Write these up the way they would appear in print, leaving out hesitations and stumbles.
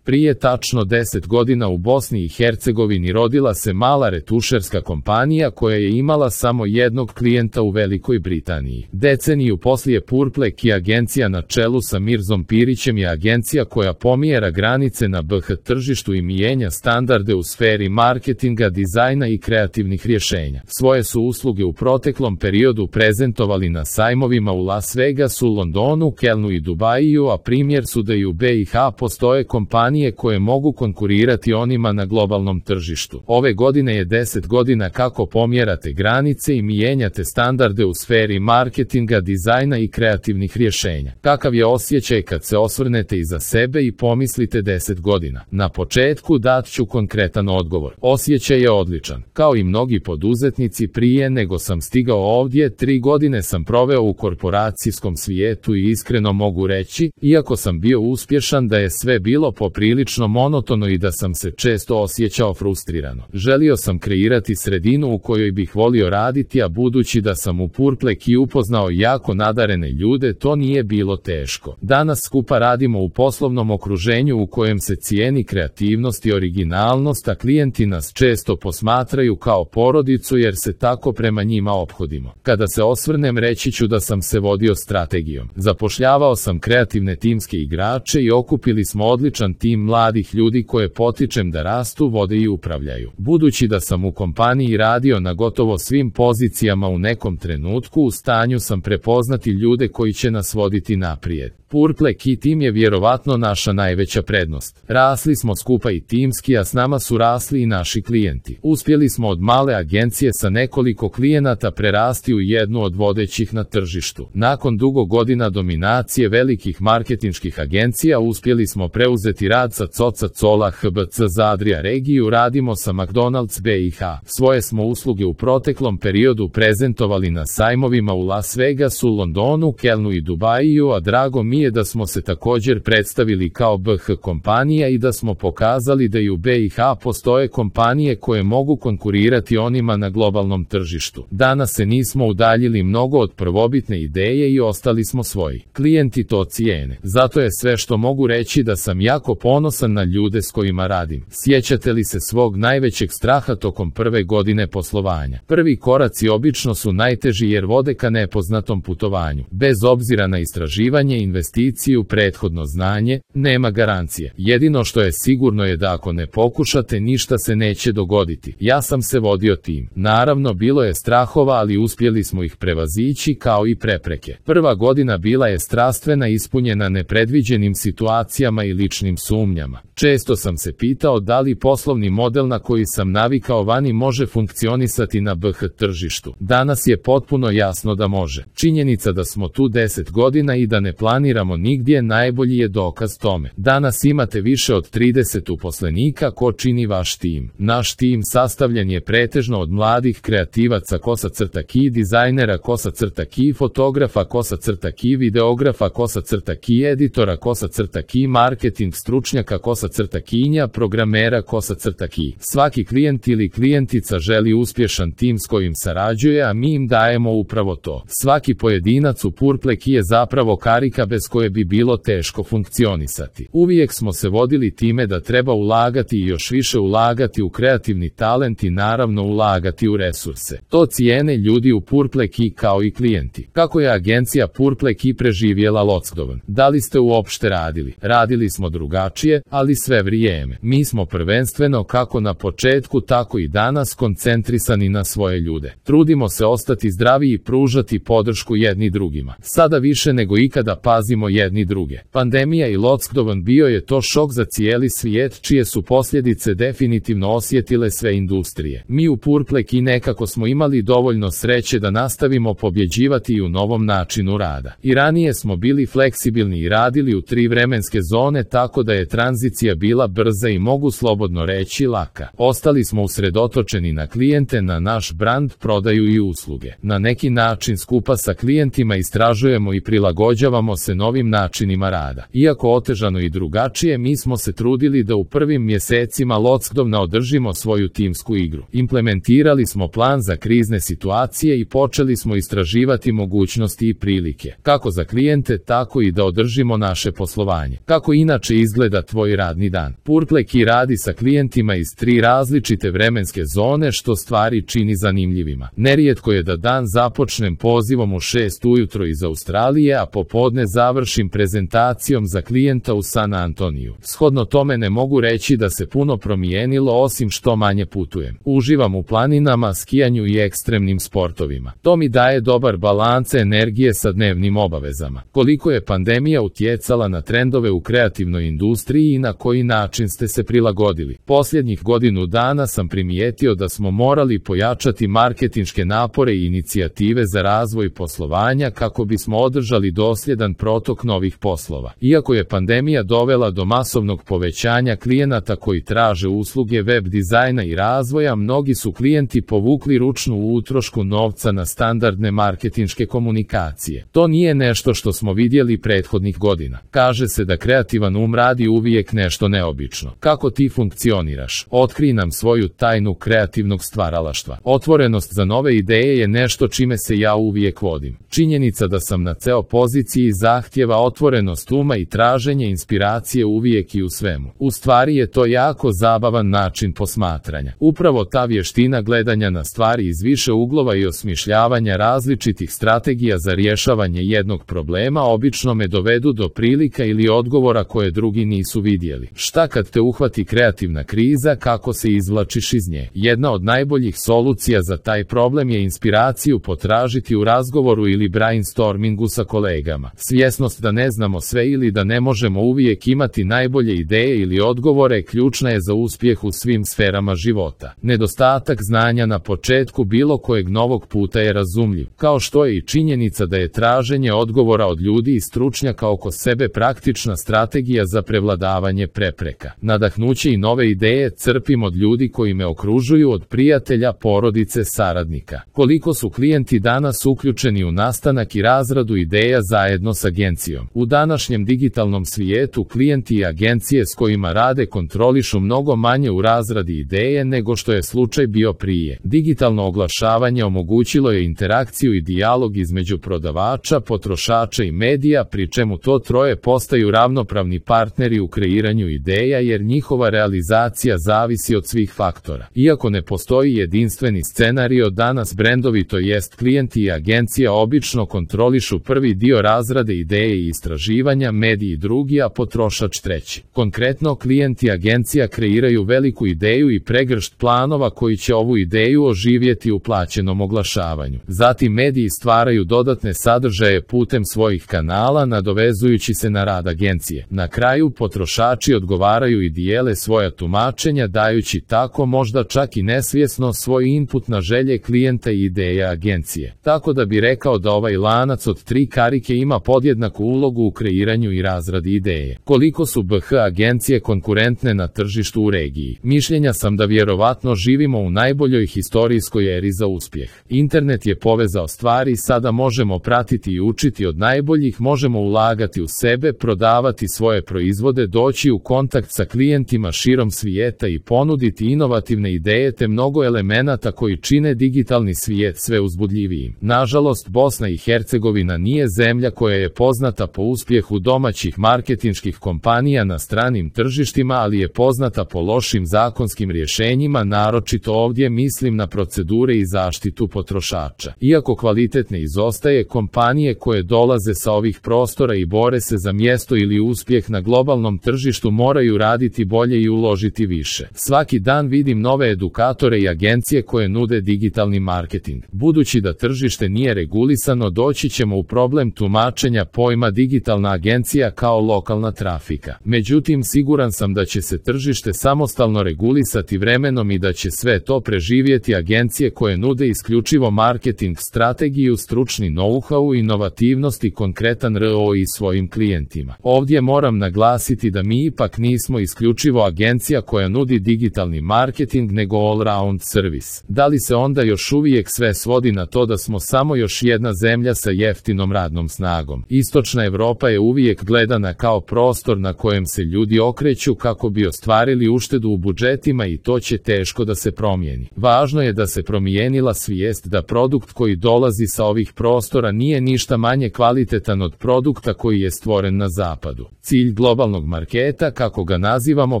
Prije tačno 10 godina u Bosni i Hercegovini rodila se mala retušerska kompanija koja je imala samo jednog klijenta u Velikoj Britaniji. Deceniju poslije Purple Key agencija na čelu sa Mirzom Pirićem je agencija koja pomjera granice na BH tržištu i mijenja standarde u sferi marketinga, dizajna i kreativnih rješenja. Svoje su usluge u proteklom periodu prezentovali na sajmovima u Las Vegasu, Londonu, Kelnu i Dubaju, a primjer su da i u BiH postoje kompanije koje mogu konkurirati onima na globalnom tržištu. Ove godine je 10 godina kako pomjerate granice i mijenjate standarde u sferi marketinga, dizajna i kreativnih rješenja. Kakav je osjećaj kad se osvrnete iza sebe i pomislite 10 godina? Na početku dat ću konkretan odgovor. Osjećaj je odličan. Kao i mnogi poduzetnici prije nego sam stigao ovdje, 3 godine sam proveo u korporacijskom svijetu i iskreno mogu reći, iako sam bio uspješan, da je sve bilo poprilično monotono i da sam se često osjećao frustrirano. Želio sam kreirati sredinu u kojoj bih volio raditi, a budući da sam u Purple Key upoznao jako nadarene ljude, to nije bilo teško. Danas skupa radimo u poslovnom okruženju u kojem se cijeni kreativnost i originalnost, a klijenti nas često posmatraju kao porodicu jer se tako prema njima ophodimo. Kada se osvrnem, reći ću da sam se vodio strategijom. Zapošljavao sam kreativne timske igrače i okupili smo odličan tim mladih ljudi koje potičem da rastu, vode i upravljaju. Budući da sam u kompaniji radio na gotovo svim pozicijama u nekom trenutku, u stanju sam prepoznati ljude koji će nas voditi naprijed. Purple Key tim je vjerovatno naša najveća prednost. Rasli smo skupa i timski, a s nama su rasli i naši klijenti. Uspjeli smo od male agencije sa nekoliko klijenata prerasti u jednu od vodećih na tržištu. Nakon dugo godina dominacije velikih marketinških agencija uspjeli smo preuzeti rad sa Coca-Cola HBC za Adria regiju, radimo sa McDonald's BiH. Svoje smo usluge u proteklom periodu prezentovali na sajmovima u Las Vegasu, Londonu, Kelnu i Dubaju, a drago mi je da smo se također predstavili kao BH kompanija i da smo pokazali da i u BiH postoje kompanije koje mogu konkurirati onima na globalnom tržištu. Danas se nismo udaljili mnogo od prvobitne ideje i ostali smo svoji. Klijenti to cijene. Zato je sve što mogu reći da sam jako ponosan na ljude s kojima radim. Sjećate li se svog najvećeg straha tokom prve godine poslovanja? Prvi koraci obično su najteži jer vode ka nepoznatom putovanju. Bez obzira na istraživanje, investiciju, prethodno znanje, nema garancije. Jedino što je sigurno je da ako ne pokušate, ništa se neće dogoditi. Ja sam se vodio tim. Naravno, bilo je strahova, ali uspjeli smo ih prevazići kao i prepreke. Prva godina bila je strastvena, ispunjena nepredviđenim situacijama i ličnim sumnjama. Često sam se pitao da li poslovni model na koji sam navikao vani može funkcionisati na BH tržištu. Danas je potpuno jasno da može. Činjenica da smo tu 10 godina i da ne planiramo nigdje najbolji je dokaz tome. Danas imate više od 30 uposlenika. Ko čini vaš tim? Naš tim sastavljen je pretežno od mladih kreativaca _key, dizajnera _key, fotografa _key, videografa _key, editora _key, marketing stručnjaka _kinja, programera _key. Svaki klijent ili klijentica želi uspješan tim s kojim sarađuje, a mi im dajemo upravo to. Svaki pojedinac u Purple Key je zapravo karika bez koje bi bilo teško funkcionisati. Uvijek smo se vodili time da treba ulagati i još više ulagati u kreativni talent i naravno ulagati u resurse. To cijene ljudi u Purple Key kao i klijenti. Kako je agencija Purple Key preživjela lockdown? Da li ste uopšte radili? Radili smo drugačije, ali sve vrijeme. Mi smo prvenstveno, kako na početku tako i danas, koncentrisani na svoje ljude. Trudimo se ostati zdravi i pružati podršku jedni drugima. Sada više nego ikada pazimo jedni druge. Pandemija i lockdown bio je to šok za cijeli svijet, čije su posljedice definitivno osjetile sve industrije. Mi u Purple Key nekako smo imali dovoljno sreće da nastavimo pobjeđivati i u novom načinu rada. I ranije smo bili fleksibilni i radili u 3 vremenske zone, tako da je tranzicija bila brza i mogu slobodno reći laka. Ostali smo usredotočeni na klijente, na naš brand, prodaju i usluge. Na neki način skupa sa klijentima istražujemo i prilagođavamo se novim načinima rada. Iako otežano i drugačije, mi smo se trudili da u prvim mjesecima lockdowna održimo svoju timsku igru. Implementirali smo plan za krizne situacije i počeli smo istraživati mogućnosti i prilike, kako za klijente, tako i da održimo naše poslovanje. Kako inače izgleda izgleda tvoj radni dan. Purple Key radi sa klijentima iz 3 različite vremenske zone, što stvari čini zanimljivima. Nerijetko je da dan započnem pozivom u 6 ujutro iz Australije, a popodne završim prezentacijom za klijenta u San Antoniju. Shodno tome ne mogu reći da se puno promijenilo, osim što manje putujem. Uživam u planinama, skijanju i ekstremnim sportovima. To mi daje dobar balans energije sa dnevnim obavezama. Koliko je pandemija utjecala na trendove u kreativnoj industriji i na koji način ste se prilagodili? Posljednjih godinu dana sam primijetio da smo morali pojačati marketinške napore i inicijative za razvoj poslovanja kako bismo održali dosljedan protok novih poslova. Iako je pandemija dovela do masovnog povećanja klijenata koji traže usluge web dizajna i razvoja, mnogi su klijenti povukli ručnu utrošku novca na standardne marketinške komunikacije. To nije nešto što smo vidjeli prethodnih godina. Kaže se da kreativan radi uvijek nešto neobično. Kako ti funkcioniraš? Otkrij nam svoju tajnu kreativnog stvaralaštva. Otvorenost za nove ideje je nešto čime se ja uvijek vodim. Činjenica da sam na CEO poziciji zahtjeva otvorenost uma i traženje inspiracije uvijek i u svemu. U stvari je to jako zabavan način posmatranja. Upravo ta vještina gledanja na stvari iz više uglova i osmišljavanja različitih strategija za rješavanje jednog problema obično me dovedu do prilika ili odgovora koje drugi nisu vidjeli. Šta kad te uhvati kreativna kriza, kako se izvlačiš iz nje? Jedna od najboljih solucija za taj problem je inspiraciju potražiti u razgovoru ili brainstormingu sa kolegama. Svjesnost da ne znamo sve ili da ne možemo uvijek imati najbolje ideje ili odgovore ključna je za uspjeh u svim sferama života. Nedostatak znanja na početku bilo kojeg novog puta je razumljiv, kao što je i činjenica da je traženje odgovora od ljudi i stručnjaka oko sebe praktična strategija za prevladavanje prepreka. Nadahnuće i nove ideje crpim od ljudi koji me okružuju, od prijatelja, porodice, saradnika. Koliko su klijenti danas uključeni u nastanak i razradu ideja zajedno s agencijom? U današnjem digitalnom svijetu klijenti i agencije s kojima rade kontrolišu mnogo manje u razradi ideje nego što je slučaj bio prije. Digitalno oglašavanje omogućilo je interakciju i dijalog između prodavača, potrošača i medija, pri čemu to troje postaju ravnopravni partneri u kreiranju ideja jer njihova realizacija zavisi od svih faktora. Iako ne postoji jedinstveni scenario, danas brendovi, to jest klijenti i agencija, obično kontrolišu prvi dio razrade ideje i istraživanja, mediji drugi, a potrošač treći. Konkretno, klijenti agencija kreiraju veliku ideju i pregršt planova koji će ovu ideju oživjeti u plaćenom oglašavanju. Zatim mediji stvaraju dodatne sadržaje putem svojih kanala, nadovezujući se na rad agencije. Na kraju potrošači odgovaraju i dijele svoja tumačenja, dajući tako možda čak i nesvjesno svoj input na želje klijenta i ideje agencije. Tako da bi rekao da ovaj lanac od 3 karike ima podjednaku ulogu u kreiranju i razradi ideje. Koliko su BH agencije konkurentne na tržištu u regiji? Mišljenja sam da vjerovatno živimo u najboljoj historijskoj eri za uspjeh. Internet je povezao stvari, sada možemo pratiti i učiti od najboljih, možemo ulagati u sebe, prodavati svoje proizvode, doći u kontakt sa klijentima širom svijeta i ponuditi inovativne ideje te mnogo elemenata koji čine digitalni svijet sve uzbudljivijim. Nažalost, Bosna i Hercegovina nije zemlja koja je poznata po uspjehu domaćih marketinških kompanija na stranim tržištima, ali je poznata po lošim zakonskim rješenjima, naročito ovdje mislim na procedure i zaštitu potrošača. Iako kvalitet ne izostaje, kompanije koje dolaze sa ovih prostora i bore se za mjesto ili uspjeh na globalnom tržištu moraju raditi bolje i uložiti više. Svaki dan vidim nove edukatore i agencije koje nude digitalni marketing. Budući da tržište nije regulisano, doći ćemo u problem tumačenja pojma digitalna agencija kao lokalna trafika. Međutim, siguran sam da će se tržište samostalno regulisati vremenom i da će sve to preživjeti agencije koje nude isključivo marketing strategiju, stručni know-how, inovativnost i konkretan ROI svojim klijentima. Ovdje moram naglasiti da mi ipak nismo isključivo agencija koja nudi digitalni marketing, nego all-round servis. Da li se onda još uvijek sve svodi na to da smo samo još jedna zemlja sa jeftinom radnom snagom? Istočna Europa je uvijek gledana kao prostor na kojem se ljudi okreću kako bi ostvarili uštedu u budžetima i to će teško da se promijeni. Važno je da se promijenila svijest da produkt koji dolazi sa ovih prostora nije ništa manje kvalitetan od produkta koji je stvoren na zapadu. Cilj globalnog kreativnog marketa, kako ga nazivamo,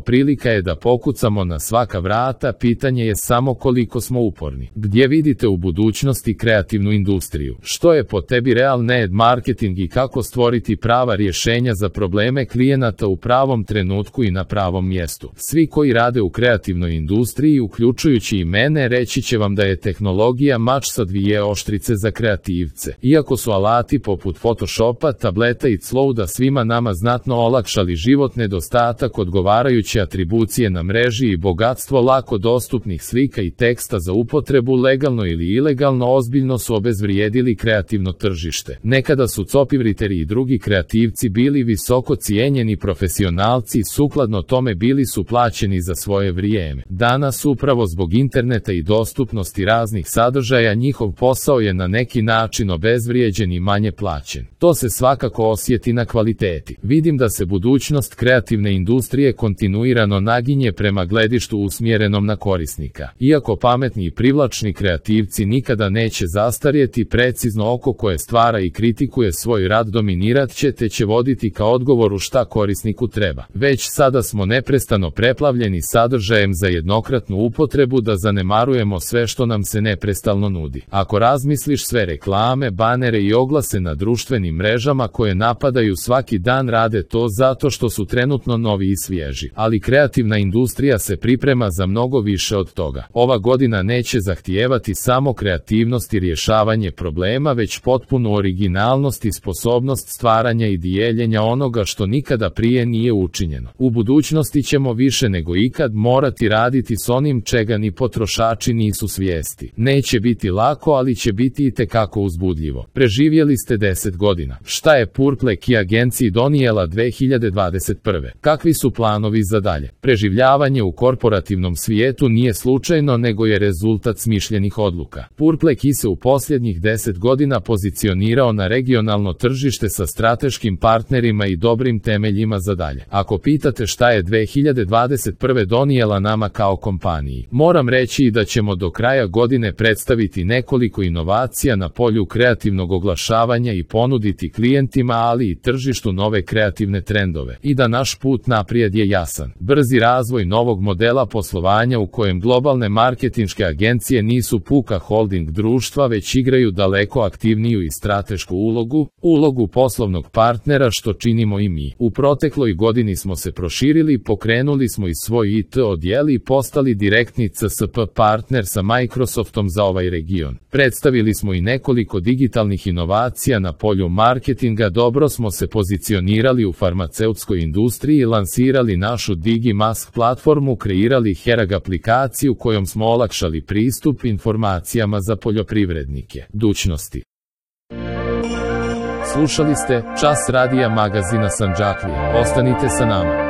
prilika je da pokucamo na svaka vrata, pitanje je samo koliko smo uporni. Gdje vidite u budućnosti kreativnu industriju? Što je po tebi real need marketing i kako stvoriti prava rješenja za probleme klijenata u pravom trenutku i na pravom mjestu? Svi koji rade u kreativnoj industriji, uključujući i mene, reći će vam da je tehnologija mač sa dvije oštrice za kreativce. Iako su alati poput Photoshopa, tableta i Clouda svima nama znatno olakšali život, nedostatak odgovarajuće atribucije na mreži i bogatstvo lako dostupnih slika i teksta za upotrebu legalno ili ilegalno ozbiljno su obezvrijedili kreativno tržište. Nekada su copywriteri i drugi kreativci bili visoko cijenjeni profesionalci i sukladno tome bili su plaćeni za svoje vrijeme. Danas upravo zbog interneta i dostupnosti raznih sadržaja njihov posao je na neki način obezvrijeđen i manje plaćen. To se svakako osjeti na kvaliteti. Vidim da se budućnost kreativne industrije kontinuirano naginje prema gledištu usmjerenom na korisnika. Iako pametni i privlačni kreativci nikada neće zastarjeti, precizno oko koje stvara i kritikuje svoj rad dominirat će te će voditi ka odgovoru šta korisniku treba. Već sada smo neprestano preplavljeni sadržajem za jednokratnu upotrebu da zanemarujemo sve što nam se neprestalno nudi. Ako razmisliš, sve reklame, banere i oglase na društvenim mrežama koje napadaju svaki dan rade to zato što su trenutno novi i svježi. Ali kreativna industrija se priprema za mnogo više od toga. Ova godina neće zahtijevati samo kreativnost i rješavanje problema, već potpunu originalnost i sposobnost stvaranja i dijeljenja onoga što nikada prije nije učinjeno. U budućnosti ćemo više nego ikad morati raditi s onim čega ni potrošači nisu svijesti. Neće biti lako, ali će biti itekako uzbudljivo. Preživjeli ste 10 godina. Šta je Purple Key agenciji donijela 2021. Kakvi su planovi za dalje? Preživljavanje u korporativnom svijetu nije slučajno, nego je rezultat smišljenih odluka. Purple Key se u posljednjih 10 godina pozicionirao na regionalno tržište sa strateškim partnerima i dobrim temeljima za dalje. Ako pitate šta je 2021. donijela nama kao kompaniji, moram reći i da ćemo do kraja godine predstaviti nekoliko inovacija na polju kreativnog oglašavanja i ponuditi klijentima, ali i tržištu nove kreativne trendove. I da naš put naprijed je jasan. Brzi razvoj novog modela poslovanja u kojem globalne marketinške agencije nisu puka holding društva, već igraju daleko aktivniju i stratešku ulogu poslovnog partnera, što činimo i mi. U protekloj godini smo se proširili, pokrenuli smo i svoj IT odjel i postali direktni CSP partner sa Microsoftom za ovaj region. Predstavili smo i nekoliko digitalnih inovacija na polju marketinga, dobro smo se pozicionirali u farmaceutskoj industriji, lansirali našu DigiMask platformu, kreirali Herag aplikaciju kojom smo olakšali pristup informacijama za poljoprivrednike. Dućnosti. Slušali ste Čas radija magazina Sandžaklije. Ostanite sa nama.